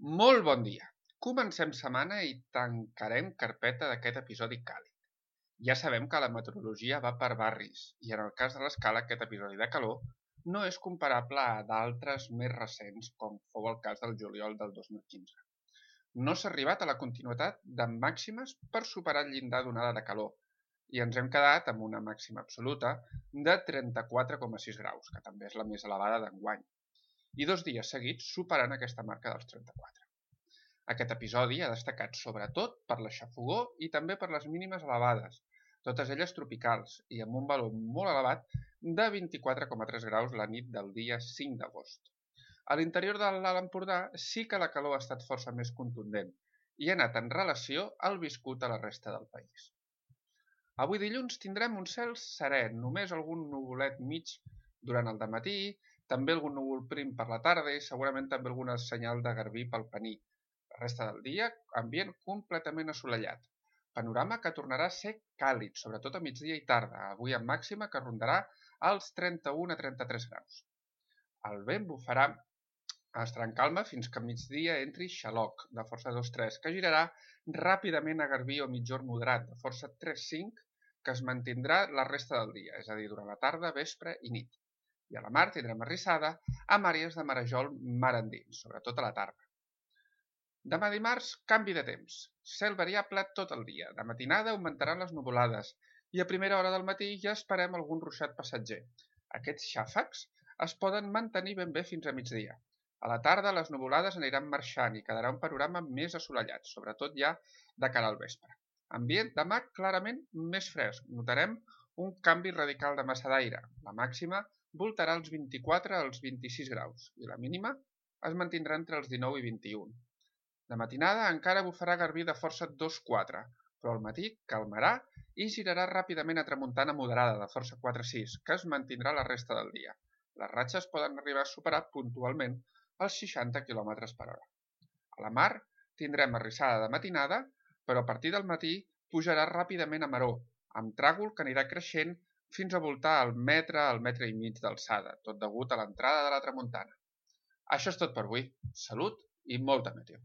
Molt bon dia! Comencem setmana i tancarem carpeta d'aquest episodi càlid. Ja sabem que la meteorologia va per barris i en el cas de l'escala aquest episodi de calor no és comparable a d'altres més recents com fou el cas del juliol del 2015. No s'ha arribat a la continuïtat de màximes per superar el llindar d'onada de calor i ens hem quedat amb una màxima absoluta de 34,6 graus, que també és la més elevada d'enguany, i 2 dies seguits superant aquesta marca dels 34. Aquest episodi ha destacat sobretot per la xafogor i també per les mínimes elevades, totes elles tropicals i amb un valor molt elevat de 24,3 graus la nit del dia 5 d'agost. A l'interior de l'Alt Empordà sí que la calor ha estat força més contundent i ha anat en relació al viscut a la resta del país. Avui dilluns tindrem un cel serè, només algun nuvolet mig durant el dematí, també algun núvol prim per la tarda i segurament també alguna senyal de garbí pel Pení. La resta del dia, ambient completament assolellat. Panorama que tornarà a ser càlid, sobretot a migdia i tarda, avui amb màxima que rondarà els 31 a 33 graus. El vent bufarà, estarà en calma fins que a migdia entri xaloc, de força 2-3, que girarà ràpidament a garbí o mitjor moderat, de força 3-5, que es mantindrà la resta del dia, és a dir, durant la tarda, vespre i nit. I a la mar tindrem arrissada amb àrees de marejol mar endins, sobretot a la tarda. Demà dimarts, canvi de temps. Cel variable tot el dia. De matinada augmentaran les nuvolades i a primera hora del matí ja esperem algun ruixat passatger. Aquests xàfecs es poden mantenir ben bé fins a migdia. A la tarda les nuvolades aniran marxant i quedarà un panorama més assolellat, sobretot ja de cara al vespre. Ambient demà clarament més fresc. Notarem un canvi radical de massa d'aire. La màxima voltarà als 24 als 26 graus i la mínima es mantindrà entre els 19 i 21. De matinada encara bufarà garbí de força 2-4, però al matí calmarà i girarà ràpidament a tramuntana moderada de força 4-6, que es mantindrà la resta del dia. Les ratxes poden arribar a superar puntualment els 60 km per hora. A la mar tindrem arrissada de matinada, però a partir del matí pujarà ràpidament a maró, amb tràgol que anirà creixent fins a voltar al metre i mig d'alçada, tot degut a l'entrada de la tramuntana. Això és tot per avui. Salut i molta meteo!